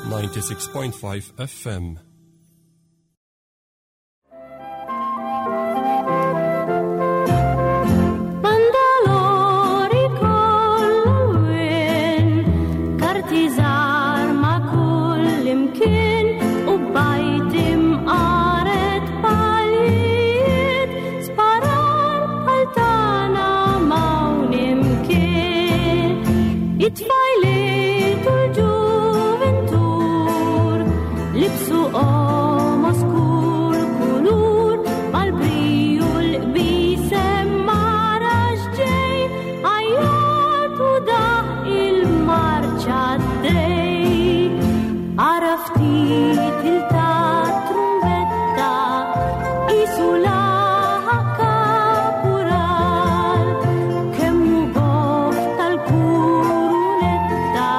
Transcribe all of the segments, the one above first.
96.5 FM. Bandalori kollowin, karti żgħar ma' kull imkien u bajt imqaret palijiet, sparar bħal tagħna m'hawn imkien. It-tfajliet u l-ġuventur libsu qomos kull kulur mal-briju l-qbisem mara x'ġej għajjat u daħ il-marċa d-dej. Ara ftit il-ta' trumbetta isu laħaq kapural kemm hu goff tal-kurunetta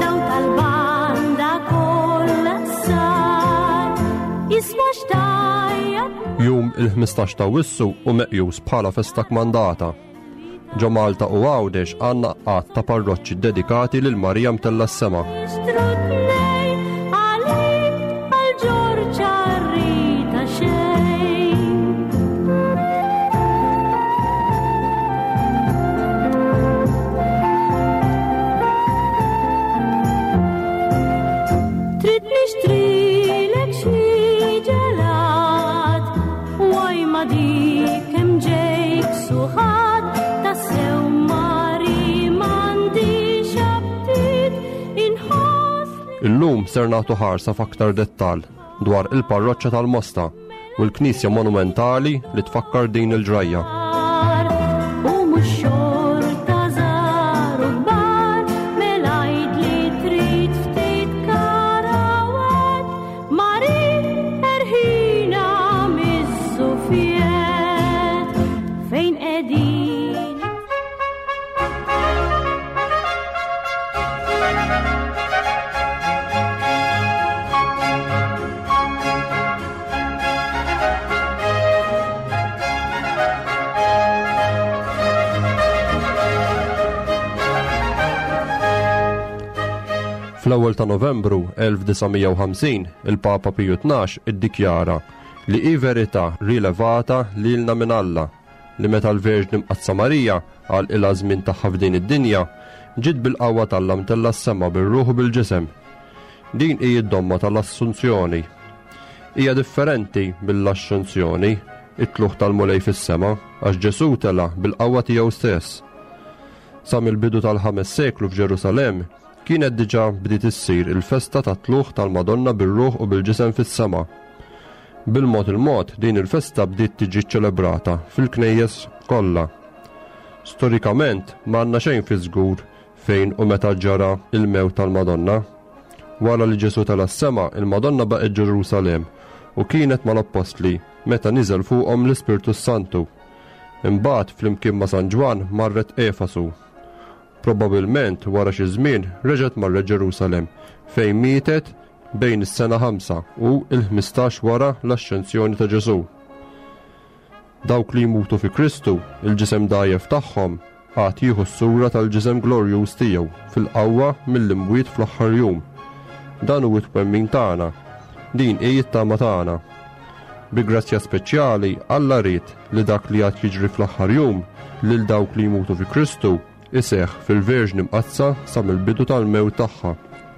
daw tal-banda kollha sar isma' xtajja Jum il-15 ta' Awwissu hu meqjus bħala festa kmandata. Ġo Malta u Għawdex għandna għadd ta' parroċċi ddedikati lil Marija Mtella s-Sema. Trid nixtrilek xi ġelat, waj ma dik hemm ġejk suħat, tassew mari m'għandix aptit inħoss li Illum ser nagħtu ħarsa f'aktar dettall dwar il-parroċċa tal-Mosta u l-knisja monumentali li tfakkar din il-ġrajja. U mhux xorta żgħar u kbar, mela għid li trid ftit karawett, mari erħina miż-żufjett fejn qegħdin. Fl-ewwel ta' Novembru 1950, il-Papa Piju Tnax iddikjara li hi verità rilevata lilna minn Alla li meta l-Verġni Mqaddsa Marija għalqilha żmien tagħha f'din id-dinja, ġiet bil-qawwa t'Alla mtellgħa s-sema bir-ruħ u bil-ġisem. Din hi d-domma tal-Assunzjoni. Hija differenti mill-Axxunzjoni, it-tlugħ tal-Mulej fis-sema, għax Ġesù tela' bil-qawwa tiegħu stess. Sa mill-bidu tal-ħames seklu f'Ġerusalemm kienet diġà bdiet issir il-festa tat-tlugħ tal-Madonna bir-ruħ u bil-ġisem fis-sema. Bil-mod il-mod din il-festa bdiet tiġi ċċelebrata fil-knejjes kollha. Storikament m'għandna xejn fi żgur fejn u meta ġara il-mewt tal-Madonna. Wara li Ġesù tela' s-sema, il-Madonna baqgħet Ġerusalemm u kienet mal-appostli meta niżel fuqhom l-Ispirtu s-Santu. Imbagħad flimkien ma' San Ġwann marret Efasu. Probabilment wara xi żmien reġgħet marret Ġerusalemm fejn mietet bejn is-sena 5 u l-15 wara l-Axxenzjoni ta' Ġesù. Dawk li jmutu fi Kristu, il-ġisem dgħajjef tagħhom għad jieħu s-sura tal-ġisem glorjuż tiegħu fil-qawwa mill-imwiet fl-aħħar jum. Dan hu t-twemmin tagħna. Din hi t-tama tagħna. Bi grazzja speċjali Alla ried li dak li għad jiġri fl-aħħar jum lil dawk li jmutu fi Kristu iseħħ fil-Verġni Mqaddsa sa mill-bidu tal-mewt tagħha,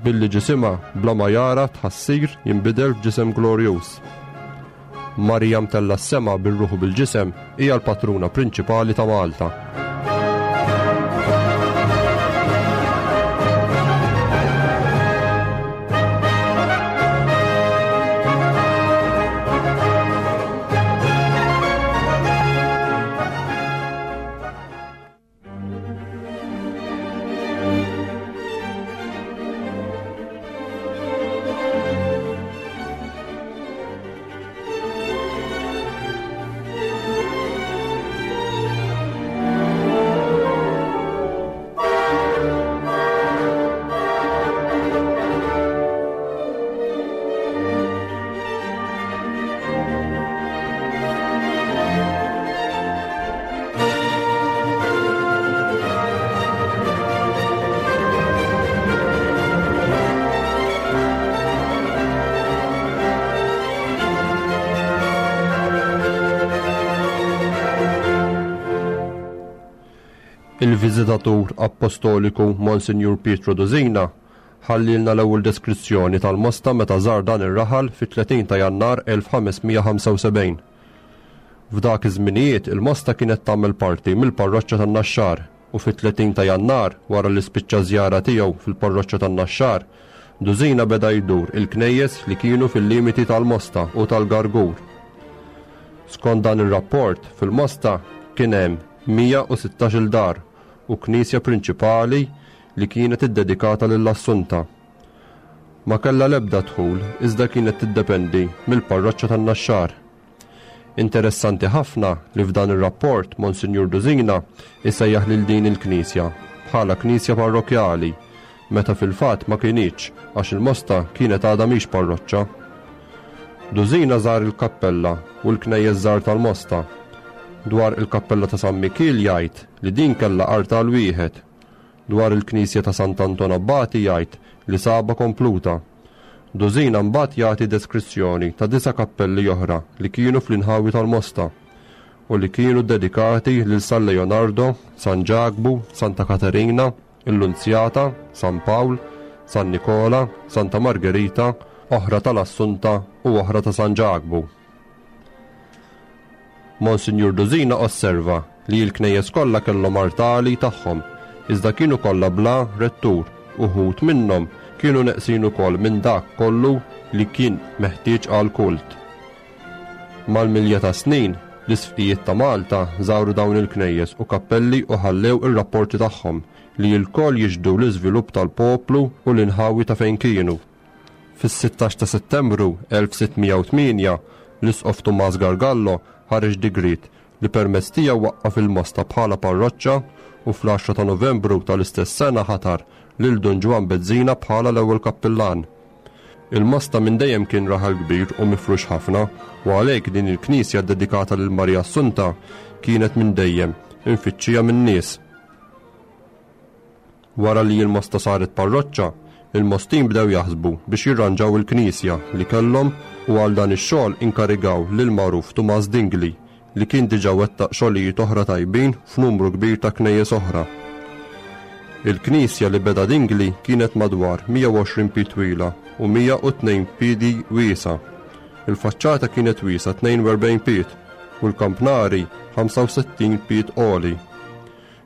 billi ġisimha bla ma jara tħassir jinbidel f'ġisem glorjuż. Marija mtellgħa s-sema bir-ruħ u bil-ġisem hija l-patruna prinċipali ta' Malta. Il-Viżitatur Appostoliku Monsinjur Pietro Dusina ħallielna l-ewwel deskrizzjoni tal-Mosta meta żar dan ir-raħal fit-30 ta' Jannar 1575. F'dak iż-żminijiet il-Mosta kienet tagħmel parti mill-parroċċa tan-Naxxar u fit-30 ta' Jannar wara li spiċċa ż-żjara tiegħu fil-parroċċa tan-Naxxar, Dusina beda jdur il-knejjes li kienu fil-limiti tal-Mosta u tal-Gargur. Skont dan ir-rapport, fil-Mosta kien hemm 116-il dar u knisja prinċipali li kienet iddedikata lill-Assunta. Ma kellha l-ebda dħul iżda kienet tiddependi mill-parroċċa tan-Naxxar. Interessanti ħafna li f'dan ir-rapport Monsinjur Dusina jsejjaħ lil din il-knisja bħala knisja parrokkjali meta fil-fatt ma kinitx għax il-Mosta kienet għadha mhix parroċċa. Dusina żar il-kappella u l-knejjes żgħar tal-Mosta. Dwar il-kappella ta' San Mikiel jgħid li din kellha artal wieħed. Dwar il-knisja ta' Sant'Anton Abbati jgħid li sabha kompluta. Dusina mbagħad jagħti deskrizzjoni ta' disa' kappelli oħra li kienu fl-inħawi tal-Mosta u li kienu ddedikati lil San Leonardo, San Ġakbu, Santa Katerina, il-Lunzjata, San Pawl, San Nikola, Santa Margherita, oħra tal-Assunta u oħra ta' San Ġakbu. Monsinjur Dusina osserva li l-knejjes kollha kellhom artali tagħhom, iżda kienu kollha bla rettur, uħud minnhom kienu neqsin ukoll minn dak kollu li kien meħtieġ għall-kult. Mal-milja tas-snin, l-isqfijiet ta' Malta żaru dawn il-knejjes u kappelli u ħallew ir-rapporti tagħhom li lkoll jixhdu l-iżvilupp tal-poplu u l-inħawi ta' fejn kienu. Fis-16 ta' Settembru 1608, l-Isqof Tumas Gargallo ħareġ digriet li permezz tiegħu waqqaf il-Mosta bħala parroċċa u fl-10 ta' Novembru tal-istess sena ħatar lil Dun Ġwann Bezzina bħala l-ewwel kappillan. Il-Mosta minn dejjem kien raħal kbir u mifrux ħafna u għalhekk din il-knisja ddedikata lil Marija Assunta kienet minn dejjem imfittxija min-nies. Wara li l-Mosta saret parroċċa, il-Mostin bdew jaħsbu biex jirranġaw il-knisja li kellhom u għal dan ix-xogħol inkarigaw lill-magħruf Tumas Dingli li kien diġà wettaq xogħlijiet oħra tajbin f'numru kbir ta' knejjes oħra. Il-knisja li beda Dingli kienet madwar 120 pied twila u 102 piedi wiesgħa. Il-faċċata kienet wiesgħa 42 pied u l-kampnari 65 pied għoli.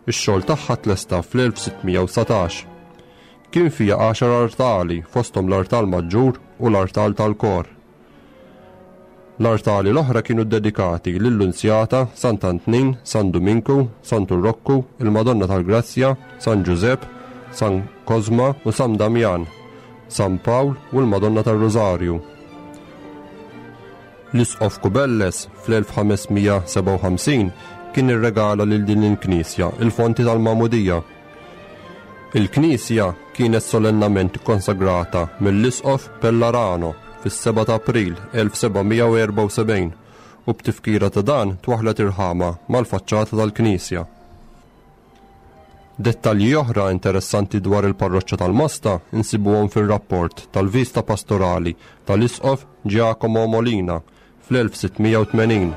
Ix-xogħol tagħha tlesta fl-1619. Kien fiha għaxar artali fosthom l-artal maġġur u l-artal tal-kor. L-artali l-oħra kienu ddedikati lill-Lunzjata, Sant'Antnin, San Duminku, Santu Rokku, il-Madonna tal-Grazzja, San Ġużepp, San Kosma u San Damjan, San Pawl u l-Madonna tar-Rużarju. L-Isqof Cubelles fl-1557 kien irregala lil din il-knisja il-fonti tal-magħmudija. Il-knisja kienet solennament ikkonsagrata mill-Isqof Pellarano fis-7 ta' April 1774 u b'tifkira ta' dan twaħħlet irħama mal-faċċata tal-knisja. Dettalji oħra interessanti dwar il-parroċċa tal-Mosta nsibuhom fir-rapport tal-Vista Pastorali tal-Isqof Giacomo Molina fl-1680.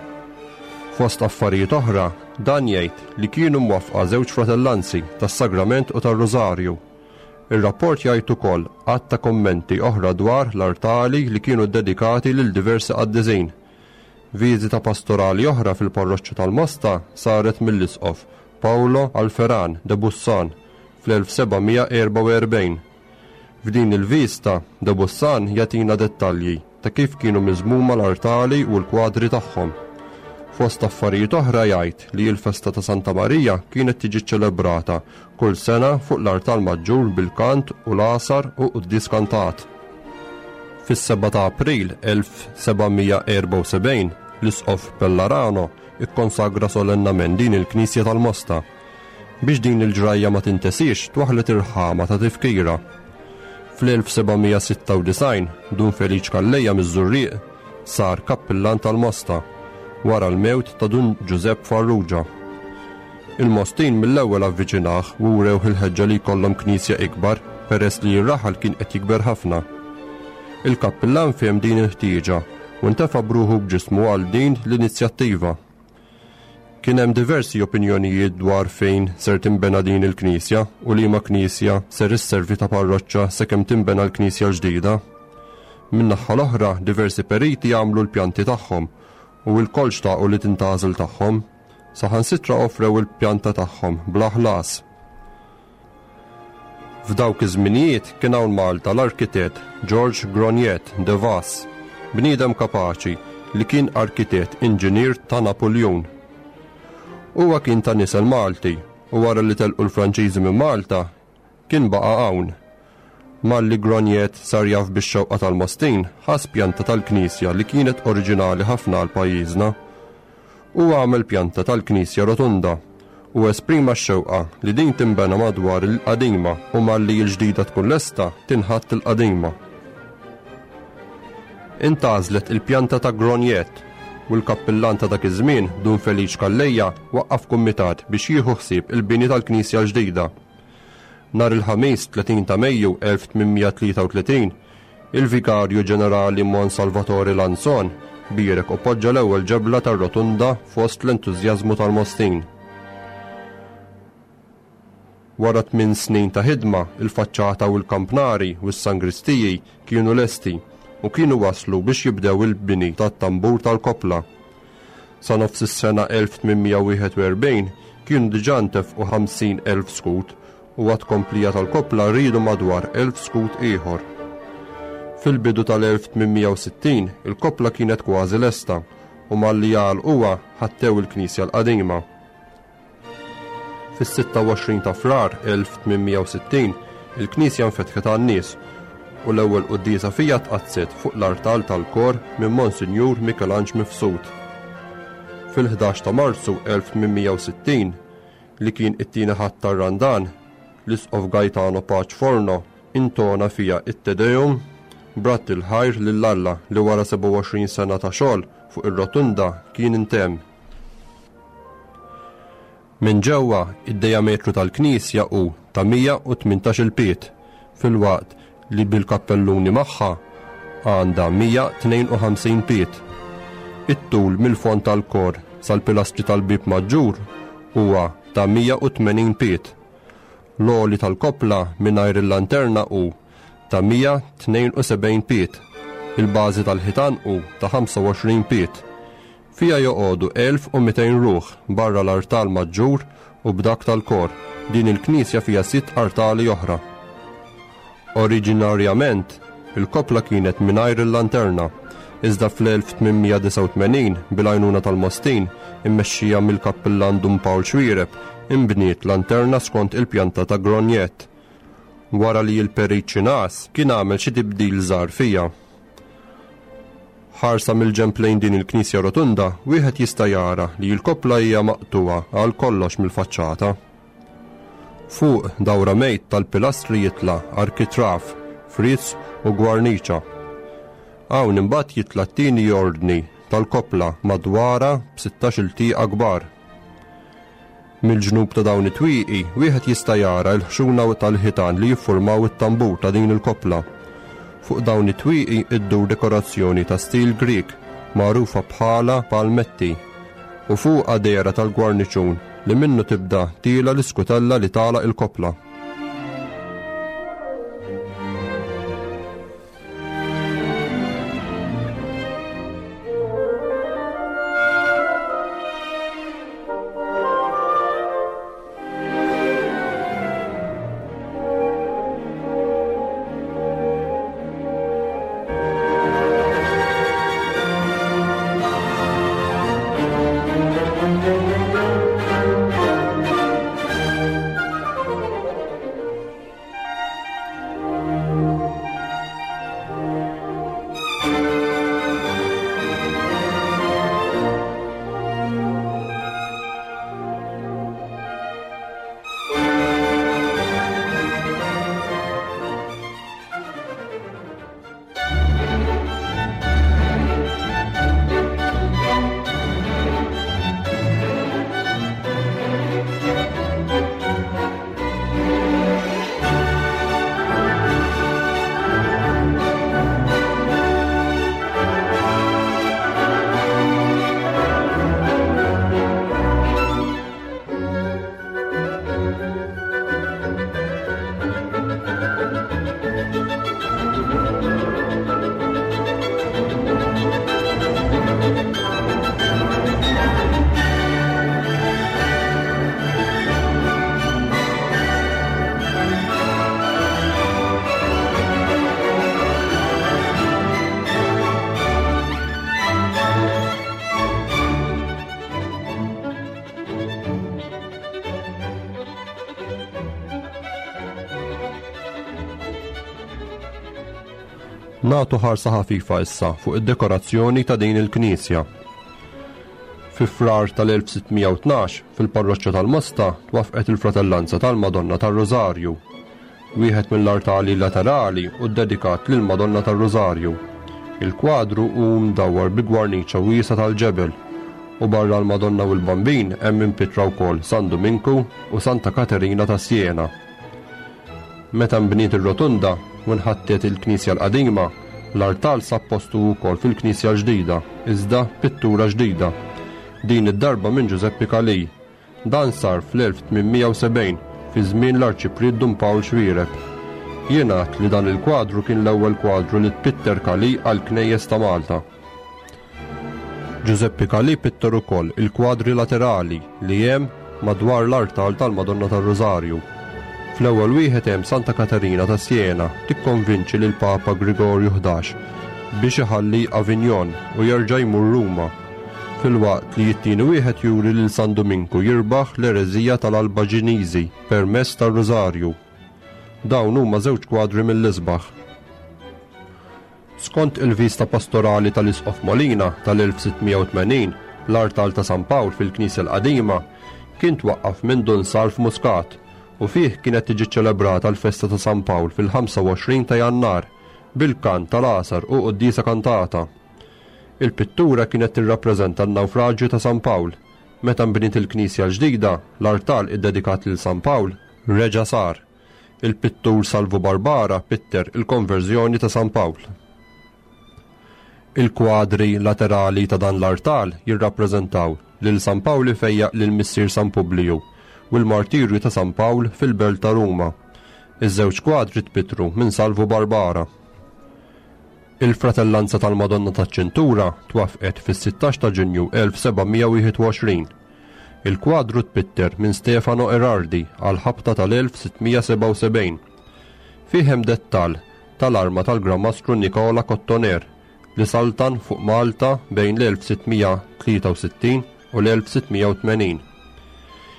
Fost affarijiet oħra, dan jgħid li kienu mwaffqa żewġ fratellanzi tas-Sagrament u tar-Rużarju. Ir-rapport jgħid ukoll għadd ta' kummenti oħra dwar l-artali li kienu ddedikati lil diversi qaddisin. Viżita pastorali oħra fil-parroċċa tal-Mosta saret mill-Isqof Paolo Alferan de Bussan fl-1744. F'din il-viżta, de Bussan jagħtina dettalji ta' kif kienu miżmuma l-artali u l-kwadri tagħhom. Fost affarijiet oħra jgħid li l-festa ta' Santa Marija kienet tiġi ċċelebrata kull sena fuq l-artal maġġur bil-kant u l-għasar u quddies kantat. Fis-7 ta' April 1774, l-Isqof Pellarano ikkonsagra solennament din il-knisja tal-Mosta. Biex din il-ġrajja ma tintesiex, twaħħlet irħama ta' tifkira. Fl-1796, Dun Feliċ Calleja miż-Żurrieq sar kappillan tal-Mosta wara l-mewt ta' Dun Ġużepp Farrugia. Il-Mostin mill-ewwel avviċinah u wrewh il-ħeġġa li jkollhom knisja ikbar peress li r-raħal kien qed jikber ħafna. Il-kappillan fehem din il-ħtieġa u ntefa' b'ruħu b'ġismu għal din l-inizjattiva. Kien hemm diversi opinjonijiet dwar fejn ser tinbena din il-knisja u liema knisja ser isservi ta' parroċċa sakemm tinbena l-knisja l-ġdida. Min-naħa l-oħra, diversi periti għamlu l-pjanti tagħhom u lkoll xtaqu li tintgħażel tagħhom. Saħansitra offrew il-pjanta tagħhom bla ħlas. F'dawk iż-żminijiet kien hawn Malta l-arkitett George Grognet de Vas, bniedem kapaċi li kien arkitett inġinier ta' Napuljun. Huwa kien ta' nisel Malti u wara li telqu l-Franċiżi minn Malta kien baqa' hawn. Malli Grognet sar jaf bix-xewqa tal-Mostin, ħass pjanta tal-knisja li kienet oriġinali ħafna għal pajjiżna. Huwa għamel pjanta tal-knisja rotunda u esprima x-xewqa li din tinbena madwar il-qadima u malli l-ġdida tkun lesta tinħatt il-qadima. Intgħażlet il-pjanta ta' Grognet u l-kappillan ta' dak iż-żmien, Dun Feliċ Calleja, waqqaf kumitat biex jieħu ħsieb il-bini tal-knisja l-ġdida. Nhar il-Ħamis 30 ta' Mejju 1833, il-Vigarju Ġenerali Mons Salvatore Lanzon bierek u poġġa l-ewwel ġebla tar-rotunda fost l-entużjażmu tal-Mostin. Wara tminn snin ta' ħidma, il-faċċata u l-kampnari u s-sangristiji kienu lesti u kienu waslu biex jibdew il-bini tat-tambur tal-koppla. Sa nofs is-sena 1841 kienu diġà ntefqu 50,000 skud u għat-tkomplija tal-koppla riedu madwar 1,000 skud ieħor. Fil-bidu tal-1860 il-koppla kienet kważi lesta u malli għalquha ħattew il-knisja l-qadima. Fis-26 ta' Frar 1860 il-knisja nfetħet għan-nies u l-ewwel quddiesa fiha tqaddset fuq l-artal tal-kor minn Monsinjur Mikelanġ Mifsud. Fil-11 ta' Marzu 1860, li kien it-tieni Ħadd tar-Randan, l-Isqof Gaetano Pace Forno intona fiha it-Te Deum b'radd il-ħajr lil Alla li wara 27 sena ta' xogħol fuq ir-rotunda kien intemm. Minn ġewwa, id-dijametru tal-knisja hu ta' 118-il pied, filwaqt li bil-kappelluni magħha għandha 152 pied. It-tul mill-fond tal-kor sal-pilastri tal-bieb maġġur huwa ta' 180 pied. L-għoli tal-koppla mingħajr il-lanterna hu ta' 172 pied. Il-bażi tal-ħitan hu ta' 25 pied. Fiha joqogħdu 1,200 ruħ barra l-artal maġġur u b'dak tal-kor. Din il-knisja fiha sitt artali oħra. Oriġinarjament, il-koppla kienet mingħajr il-lanterna, iżda fl-1889, bil-għajnuna tal-Mostin, immexxija mill-kappillan Dun Pawl Xuereb, inbniet lanterna skont il-pjanta ta' Grognet, wara li l-Perit Xinas kien għamel xi tibdil żgħar fiha. Ħarsa mill-ġenb lejn din il-knisja rotunda, wieħed jista' jara li l-koppla hija maqtugħa għal kollox mill-faċċata. Fuq dawra mejt tal-pilastri jitla' arkitrav, friz u gwarniċa. Hawn imbagħad jitla' t-tieni ordni tal-koppla madwarha b'sittax-il tieqa kbar. Mill-ġnub ta' dawn it-twieqi wieħed jista' jara l-ħxuna tal-ħitan li jiffurmaw it-tambur ta' din il-koppla. Fuq dawn it-twieqi ddur dekorazzjoni ta' stil Grieg magħrufa bħala palmetti u fuqha dehra tal-gwarniċun li minnu tibda tiela' l-iskutella li tagħlaq il-koppla. Nagħtu ħarsa ħafifa issa fuq id-dekorazzjoni ta' din il-knisja. Fi Frar tal-1612, fil-parroċċa tal-Mosta twaffqet il-Fratellanza tal-Madonna tar-Rużarju. Wieħed mill-artali laterali hu ddedikat lill-Madonna tar-Rużarju. Il-kwadru hu mdawwar bi gwarniċa wiesgħa tal-ġebel u barra l-Madonna u l-Bambin hemm impittra wkoll San Duminku u Santa Katerina ta' Siena. Meta nbniet ir-Rotunda u nħattet il-knisja l-qadima, l-artal sab postu wkoll fil-knisja l-ġdida, iżda b'pittura ġdida. Din id-darba minn Ġużeppi Calì. Dan sar fl-1870, fi żmien l-Arċipriet Dun Pawl Xuereb. Jingħad li dan il-kwadru kien l-ewwel kwadru li tpitter Calì għall-knejjes ta' Malta. Ġużeppi Calì pitter ukoll il-kwadri laterali li hemm madwar l-artal tal-Madonna tar-Rużarju. Fl-ewwel wieħed hemm Santa Katerina ta' Siena tikkonvinċi lill-Papa Grigorju 11 biex iħalli Avignon u jerġa' jmur Ruma, filwaqt li t-tieni wieħed juri lil San Duminku jirbaħ l-ereżija tal-Albaġiniżi permezz tar-Rużarju. Dawn huma żewġ kwadri mill-isbaħ. Skont il-Vista Pastorali tal-Isqof Molina tal-1680, l-artal ta' San Pawl fil-knisja l-qadima kien twaqqaf minn Dun Salv Muscat u fih kienet tiġi ċċelebrata l-festa ta' San Pawl fil-25 ta' Jannar bil-kant tal-għasar u quddiesa kantata. Il-pittura kienet tirrappreżenta n-nawfraġju ta' San Pawl. Meta nbniet il-knisja l-ġdida, l-artal iddedikat lil San Pawl reġa' sar. Il-pittur Salvu Barbara pitter il-Konverżjoni ta' San Pawl. Il-kwadri laterali ta' dan l-artal jirrappreżentaw lil San Pawl ifejjaq lil missier San Publiju u l-martirju ta' San Pawl fil-belt ta' Ruma. Iż-żewġ kwadri tpittru minn Salvu Barbara. Il-Fratellanza tal-Madonna taċ-Ċintura twaffqet fis-16 ta' Ġunju 1721. Il-kwadru tpitter minn Stefano Erardi għall-ħabta tal-1677. Fih hemm dettall tal-arma tal-Gran Mastru Nicola Cottoner li saltan fuq Malta bejn l-1663 u l-1680.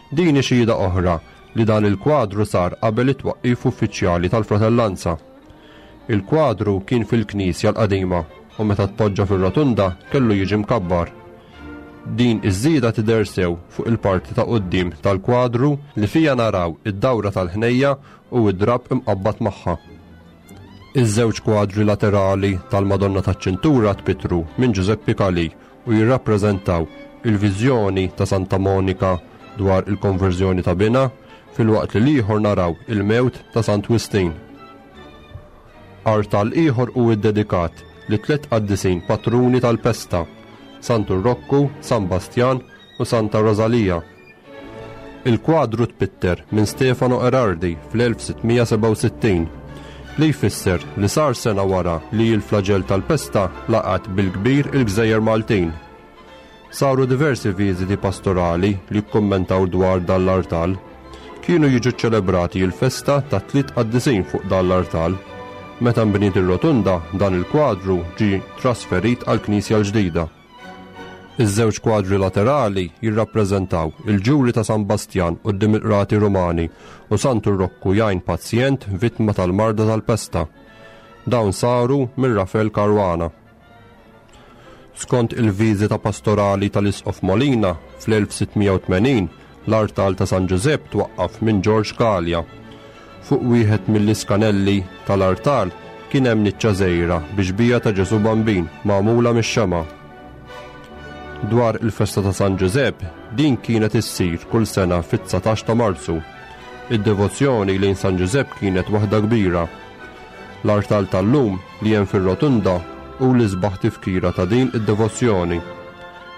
Din hi xhieda oħra li dan il-kwadru sar qabel it-twaqqif uffiċjali tal-Fratellanza. Il-kwadru kien fil-knisja l-qadima u meta tpoġġa fir-rotunda kellu jiġi mkabbar. Din iż-żieda tidher sew fuq il-parti ta' quddiem tal-kwadru li fiha naraw id-dawra tal-ħnejja u d-drapp imqabbad magħha. Iż-żewġ kwadri laterali tal-Madonna taċ-Ċintura tpittru minn Ġużeppi Calì u jirrappreżentaw il-viżjoni ta' Santa Monika dwar il-konverżjoni ta' binha filwaqt li l-ieħor naraw il-mewt ta' Sant Wistin. Artal ieħor hu ddedikat lit-tlett qaddisin patruni tal-pesta, Santu Rokku, San Bastjan u Santa Rosalia. Il-kwadru tpitter minn Stefano Erardi fl-1667, li jfisser li sar sena wara li l-flaġell tal-pesta laqat bil-kbir il-gżejjer Maltin. Saru diversi viżiti pastorali li kkummentaw dwar dan l-artal. Kienu jiġu ċċelebrati l-festa tat-tliet qaddisin fuq dan l-artal. Meta nbniet ir-rotunda, dan il-kwadru ġie trasferit għall-knisja l-ġdida. Iż-żewġ kwadri laterali jirrappreżentaw il-ġuri ta' San Bastjan quddiem il-qrati Rumani u Santu Rokku jgħin pazjent vittma tal-marda tal-pesta. Dawn saru minn Rafel Caruana. Skont il-viżita pastorali tal-Isqof Molina fl-1680, l-artal ta' San Ġużepp twaqqaf minn Ġorġ Galea. Fuq wieħed mill-iskanelli tal-artal kien hemm niċċa żgħira bi xbieha ta' Ġesù Bambin magħmula mix-xemgħa. Dwar il-festa ta' San Ġużepp, din kienet issir kull sena fit-19 ta' Marzu. Id-devozzjoni lejn San Ġużepp kienet waħda kbira. L-artal tal-lum li hemm fir-Rotunda hu l-isbaħ tifkira ta' din id-devozzjoni.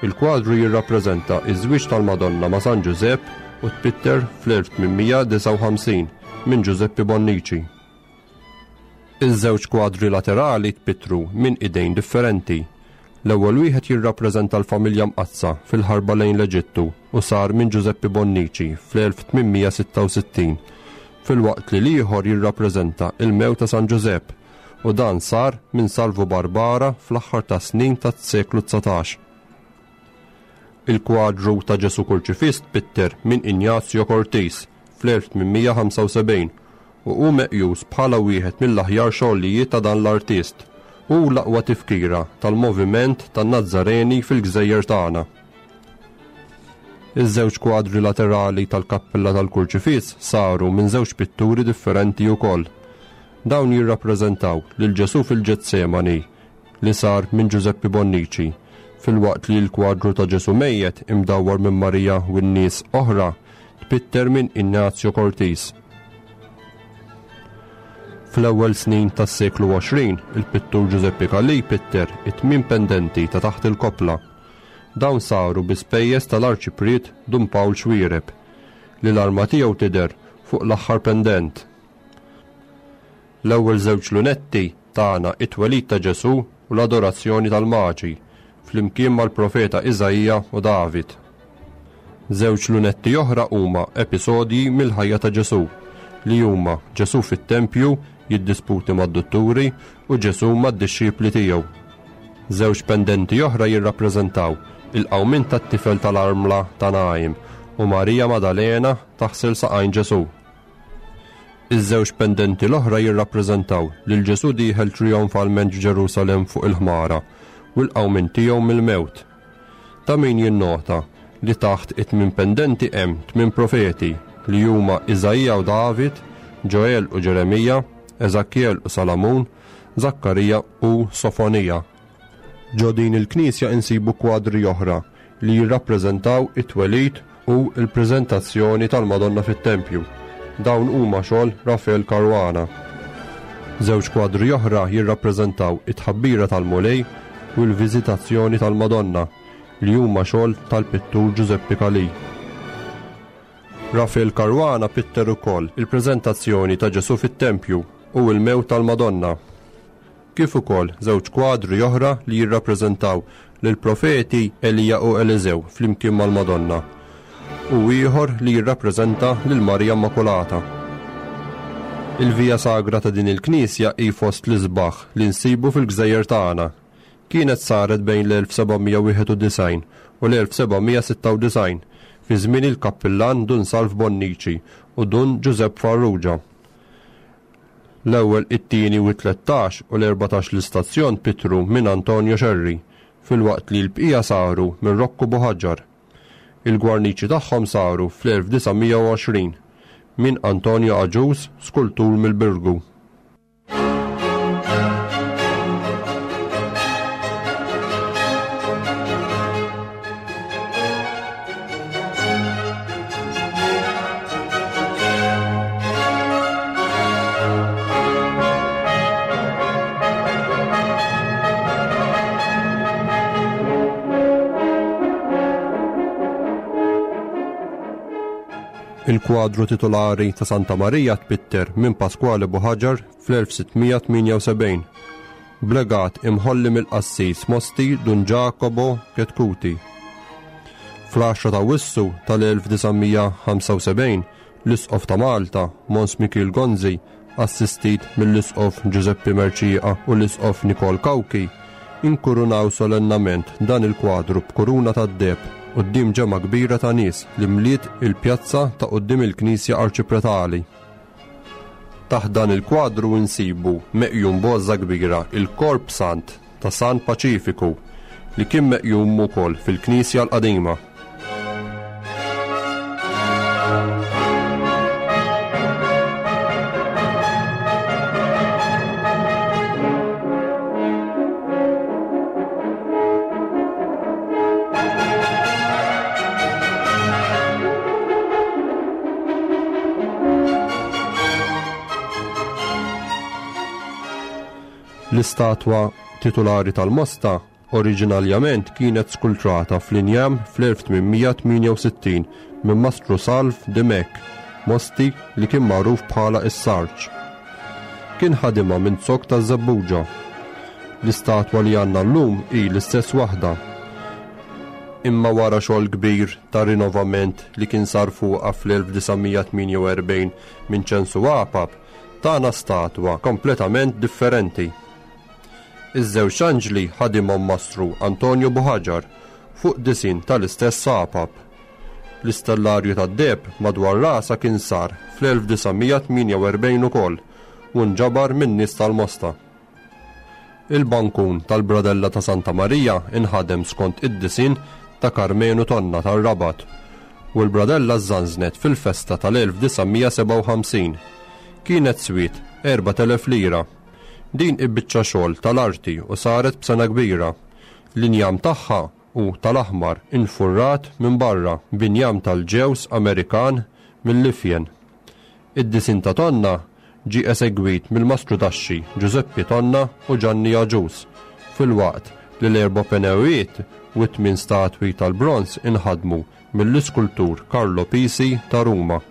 Il-kwadru jirrappreżenta ż-żwieġ tal-Madonna ma' San Ġużepp u tpitter fl-1859 minn Ġużeppi Bonnici. Iż-żewġ kwadri laterali tpittru minn idejn differenti. L-ewwel wieħed jirrappreżenta l-Familja Mqaddsa fil-ħarba lejn l-Eġittu u sar minn Ġużeppi Bonnici fl-1866, filwaqt li l-ieħor jirrappreżenta l-mewt ta' San Ġużepp u dan sar minn Salvu Barbara fl-aħħar tas-snin tas-seklu 19. Il-kwadru ta' Ġesù Kurċifiss tpitter minn Ignazio Cortis fl-1875 u hu meqjus bħala wieħed mill-aħjar xogħlijiet ta' dan l-artist. Hu l-aqwa tifkira tal-moviment tan-Nazzareni fil-gżejjer tagħna. Iż-żewġ kwadri laterali tal-kappella tal-Kurċifiss saru minn żewġ pitturi differenti wkoll. Dawn jirrappreżentaw lil Ġesù fil-Ġetsemani li sar minn Ġużeppi Bonnici, filwaqt li l-kwadru ta' Ġesù mejjet imdawwar minn Marija u n-nies oħra tpitter minn Ignazio Cortis. Fl-ewwel snin tas-seklu 20, il-pittur Ġużeppi Calì pitter it-tmien pendenti ta' taħt il-koppla. Dawn saru bi spejjeż tal-Arċipriet Dun Pawl Xuereb, li l-arma tiegħu tidher fuq l-aħħar pendent. L-ewwel żewġ lunetti tana it-twelid ta' Ġesù u l-adorazzjoni tal-Maġi, flimkien mal-profeta Iżaija u David. Żewġ lunetti oħra huma episodji mill-ħajja ta' Ġesù, li huma Ġesù fit-tempju jiddisputi mad-dutturi u Ġesù mad-dixxipli tiegħu. Żewġ pendenti oħra jirrappreżentaw il-qawmien tat-tifel tal-armla ta' Naim u Marija Madalena taħsel saqajn Ġesù. Iż-żewġ pendenti l-oħra jirrappreżentaw lil Ġesù dieħel trijonfalment f'Ġerusalemm fuq il-ħmara u l-qawmien tiegħu mill-mewt. Ta' min jinnota li taħt it-tmien pendenti hemm tmien profeti li huma Iżaija u David, Ġoel u Ġeremija, Eżakjel u Salamun, Żakkarija u Sofonija. Ġo din il-knisja insibu kwadri oħra li jirrappreżentaw it-twelid u l-preżentazzjoni tal-Madonna fit-tempju. Dawn huma xogħol Rafael Caruana. Żewġ kwadri oħra jirrappreżentaw it-tħabbira tal-Mulej u l-viżitazzjoni tal-Madonna li huma xogħol tal-pittur Giuseppe Calì. Rafael Caruana pitter ukoll il-preżentazzjoni ta' Ġesù fit-tempju u l-mewt tal-Madonna. Kif ukoll żewġ kwadri oħra li jirrappreżentaw lill-profeti Elija u Eliżew flimkien mal-Madonna, u ieħor li jirrappreżenta lil Marija Immakulata. Il-Via Sagra ta' din il-knisja hi fost l-isbaħ li nsibu fil-gżejjer tagħna. Kienet saret bejn l-1791 u l-1796 fi żmien il-kappillan Dun Salv Bonnici u Dun Ġużepp Farrugia. L-ewwel, it-tieni u t-3 u l-14 l-istazzjon pittru minn Antonio Scerri, filwaqt li l-bqija saru minn Rocco Buhagiar. Il-gwarniċi tagħhom saru fl-1920 minn Antonio Agius, skultur mill-Birgu. Il-kwadru titolari ta' Santa Marija tpitter minn Pasquale Buhaġar fl-1678 b'legat imħolli mill-qassis Mosti Dun Ġakobo Chetcuti. Fl-10 ta' Awwissu tal-1975, l-Isqof ta' Malta, Mons Mikiel Gonzi, assistit mill-Isqof Giuseppe Mercieca u l-Isqof Nikol Cauchi, inkurunaw solennament dan il-kwadru b'kuruna tad-deheb quddiem ġemgħa kbira ta' nies li mliet il-pjazza ta' quddiem il-Knisja Arċipretali. Taħt dan il-kwadru nsibu meqjum b'għożża kbira il-Korp Sant ta' San Paċifiku li kien meqjum ukoll fil-knisja l-qadima. L-istatwa titulari tal-Mosta oriġinaljament kienet skultrata fl-injam fl-1868 minn Mastru Salv Dimech, Mosti li kien magħruf bħala is-Sarġ. Kien ħadimha minn zokk taż-żebbuġa. L-istatwa li għandna llum hi l-istess waħda. Imma wara xogħol kbir ta' rinovament li kien sar fuqha fl-1948 minn Ċensu Apap, tana statwa kompletament differenti. Iż-żewġ anġli ħadimhom Mastru Antonio Buhaġar fuq disinn tal-istess Apap. L-istellarju tad-deheb madwar rasha kien sar fl-1948 ukoll u nġabar min-nies tal-Mosta. Il-bankun tal-Bradella ta' Santa Marija inħadem skont id-disinn ta' Karmenu Tonna tar-Rabat u l-bradella żżanżnet fil-festa tal-1957. Kienet swiet 4,000 lira. Din hi biċċa xogħol tal-arti u saret b'sengħa kbira. L-injam tagħha hu tal-aħmar infurrat minn barra b'injam tal-ġewż Amerikan mill-ifjen. Id-disinn ta' Tonna ġie esegwit mill-mastrudaxxi Giuseppe Tonna u Gianni Agius, filwaqt li l-erba' penewiet u t-tmien statwi tal-bronż inħadmu mill-iskultur Carlo Pisi ta' Ruma.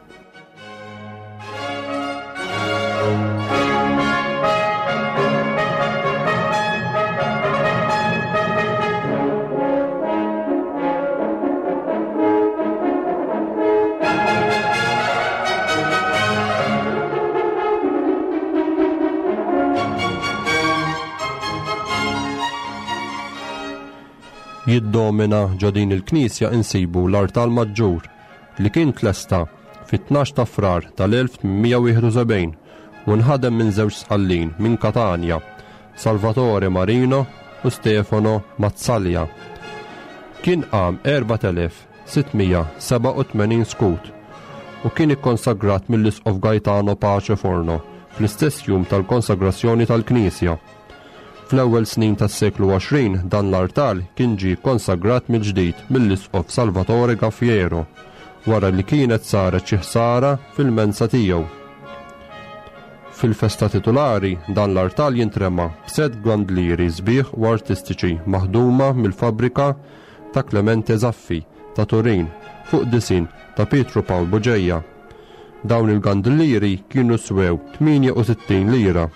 Jiddomina ġo din il-knisja insibu l-artal maġġur li kien tlesta fit-12 ta' Frar tal-1871 u nħadem minn żewġ Sqallin minn Katanja, Salvatore Marino u Stefano Mazzaglia. Kien qam 4687 skut u kien ikkonsagrat mill-Isqof Gaetano Pace Forno fl-istess jum tal-konsagrazzjoni tal-knisja. Fl-ewwel snin tas-seklu 20 dan l-artal kien ġie kkonsagrat mill-ġdid mill-Isqof Salvatore Gaffiero wara li kienet saret xi ħsara fil-mensa tiegħu. Fil-festa titulari dan l-artal jintrema b'sett gwandlieri sbieħ u artistiċi maħduma mill-fabbrika ta' Clemente Zaffi ta' Turin fuq disinn ta' Pietru Pawl Bugeja. Dawn il-gandlieri kienu swew 68 lira.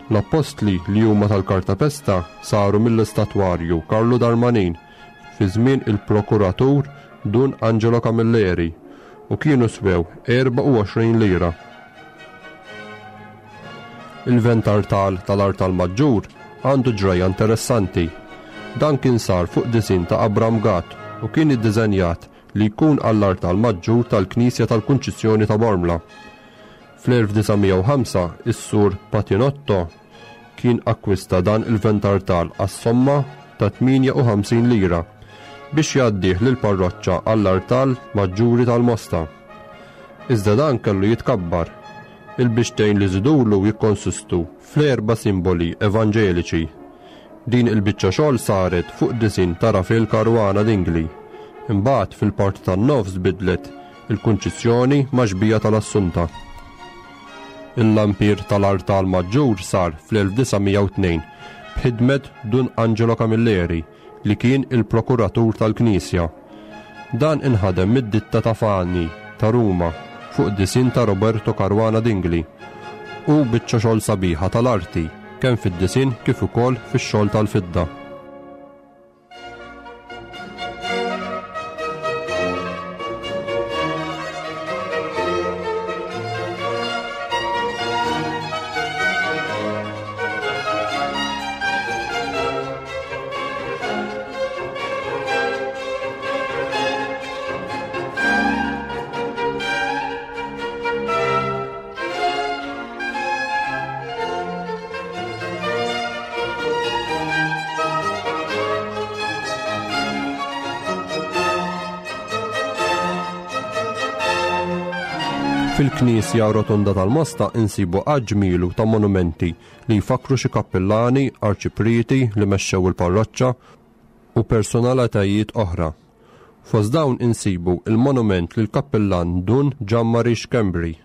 L-appostli li huma tal-kartapesta saru mill-istatwarju Karlu Darmanin fi żmien il-prokuratur Dun Angelo Camilleri u kienu swew 24 lira. Il-ventartal tal-artal maġġur għandu ġrajja interessanti. Dan kien sar fuq disinn ta' Abram Gatt u kien iddiżenjat li jkun għall-artal maġġur tal-Knisja tal-Kunċizzjoni ta' Bormla. Fl-1905 is-Sur Patinotto kien akkwista dan il-ventartal għas-somma ta' 58 lira biex jgħaddih lill-parroċċa għall-artal maġġuri tal-Mosta. Iżda dan kellu jitkabbar. Il-biċċtejn li żidulu jikkonsistu fl-erba' simboli evanġeliċi. Din il-biċċa xogħol saret fuq disinn ta' Rafael Caruana Dingli. Imbagħad fil-parti tan-nofs tbiddlet il-Kunċizzjoni ma' xbieha tal-Assunta. Il-lampir tal-artal maġġur sar fl-1902 b'ħidmet Dun Angelo Camilleri li kien il-prokuratur tal-knisja. Dan inħadem mid-ditta ta' Fani ta' Ruma fuq disinn ta' Roberto Caruana Dingli. Hu biċċa xogħol sabiħa tal-arti kemm fid-disinn kif ukoll fix-xogħol tal-fidda. Fil-Knisja Rotonda tal-Mosta insibu għadd ġmielu ta' monumenti li jfakkru xi kappillani, arċiprieti li mexxew il-parroċċa u personalitajiet oħra. Fost dawn insibu il-monument lill-kappillan Dun Ġammari Schembri,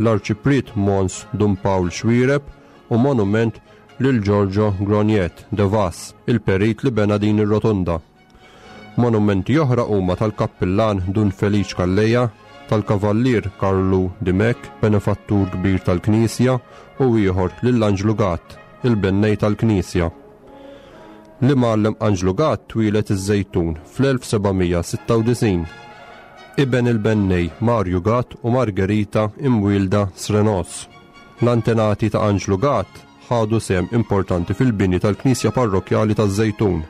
l-Arċipriet Mons Dun Pawl Xuereb u monument lil Giorgio Grognet de Vas, il-perit li bena din ir-rotunda. Monumenti oħra huma tal-Kappillan Dun Feliċ Calleja, tal-Kavallier Karlu Dimech, benefattur kbir tal-Knisja, u ieħor lil Anġlu Gatt, il-bennej tal-Knisja. L-Imgħallem Anġlu Gatt twieled iż-Żejtun fl-1796. Iben il-bennej Marju Gatt u Margherita imwielda Srenos. L-antenati ta' Anġlu Gatt ħadu sehem importanti fil-bini tal-Knisja Parrokkjali taż-Żejtun.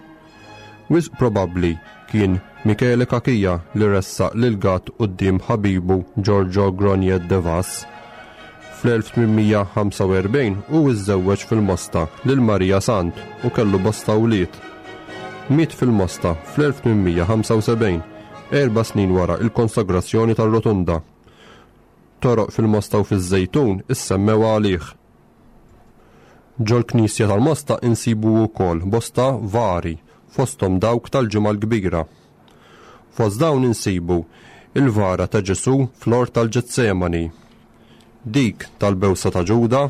Wisq probabbli kien Michele Cachia li ressaq lil Gatt quddiem ħabibu Giorgio Grognet de Vas. Fl-1845 hu iżżewweġ fil-Mosta lil Marija Sant u kellu bosta wlied. Miet fil-Mosta fl-1875, erba' snin wara il-konsagrazzjoni tar-Rotunda. Toroq fil-Mosta u fiż-Żejtun issemmew għalih. Ġol-knisja tal-Mosta insibu wkoll bosta vari, fosthom dawk tal-Ġimgħa l-Kbira. Fost dawn insibu il-vara ta' Ġesù fl-Ort tal-Ġetsemani, dik tal-Bewsa ta' Ġuda,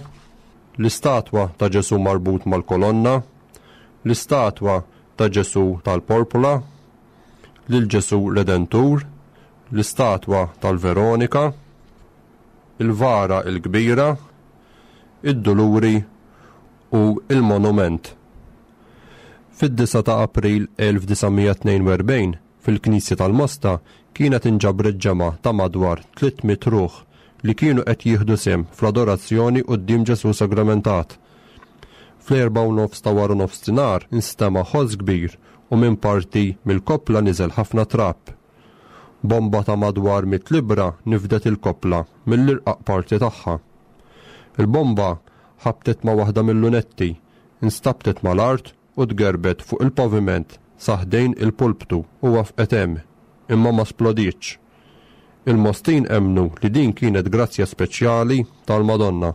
l-istatwa ta' Ġesù marbut mal-kolonna, l-istatwa ta' Ġesù tal-Porpola, lil Ġesù Redentur, l-istatwa tal-Veronika, il-vara l-kbira, id-Duluri u il-Monument. Fid-9 ta' April 1942, fil-Knisja tal-Mosta kienet inġabret ġemgħa ta' madwar 300 ruħ li kienu qed jieħdu sehem fl-adorazzjoni quddiem Ġesù Sagramentat. Fl-erba' u nofs ta' wara nofsinhar instema' ħoss kbir u minn parti mill-koppla niżel ħafna trab. Bomba ta' madwar mitt libbra nifdet il-koppla mill-irqaq parti tagħha. Il-bomba ħabtet ma' waħda mil-lunetti, instabtet mal-art u tgerbet fuq il-paviment sa ħdejn il-pulptu u wafqet hemm, imma ma splodietx. Il-Mostin emmnu li din kienet grazzja speċjali tal-Madonna.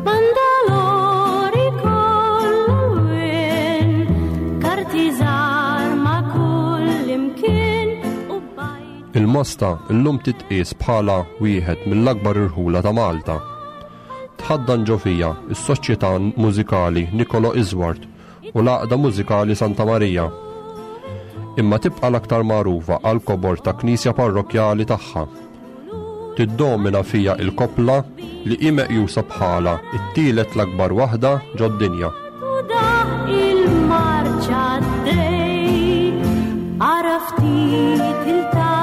Bandalori kollu karti żgħar ma' kull imkien u bajt. Il-Mosta llum titqies bħala wieħed mill-akbar irħula ta' Malta. Tħaddan ġo fiha s-Soċjetà Mużikali Nicolo Isward u l-Għaqda Mużikali Santa Marija. Imma tibqa' l-aktar magħrufa għall-kobor ta' knisja parrokkjali tagħha. Tiddomina fiha il-koppla li hi meqjusa bħala t-tielet l-akbar waħda ġod-dinja. Il-marċa għaddej, ara ftit il-ta'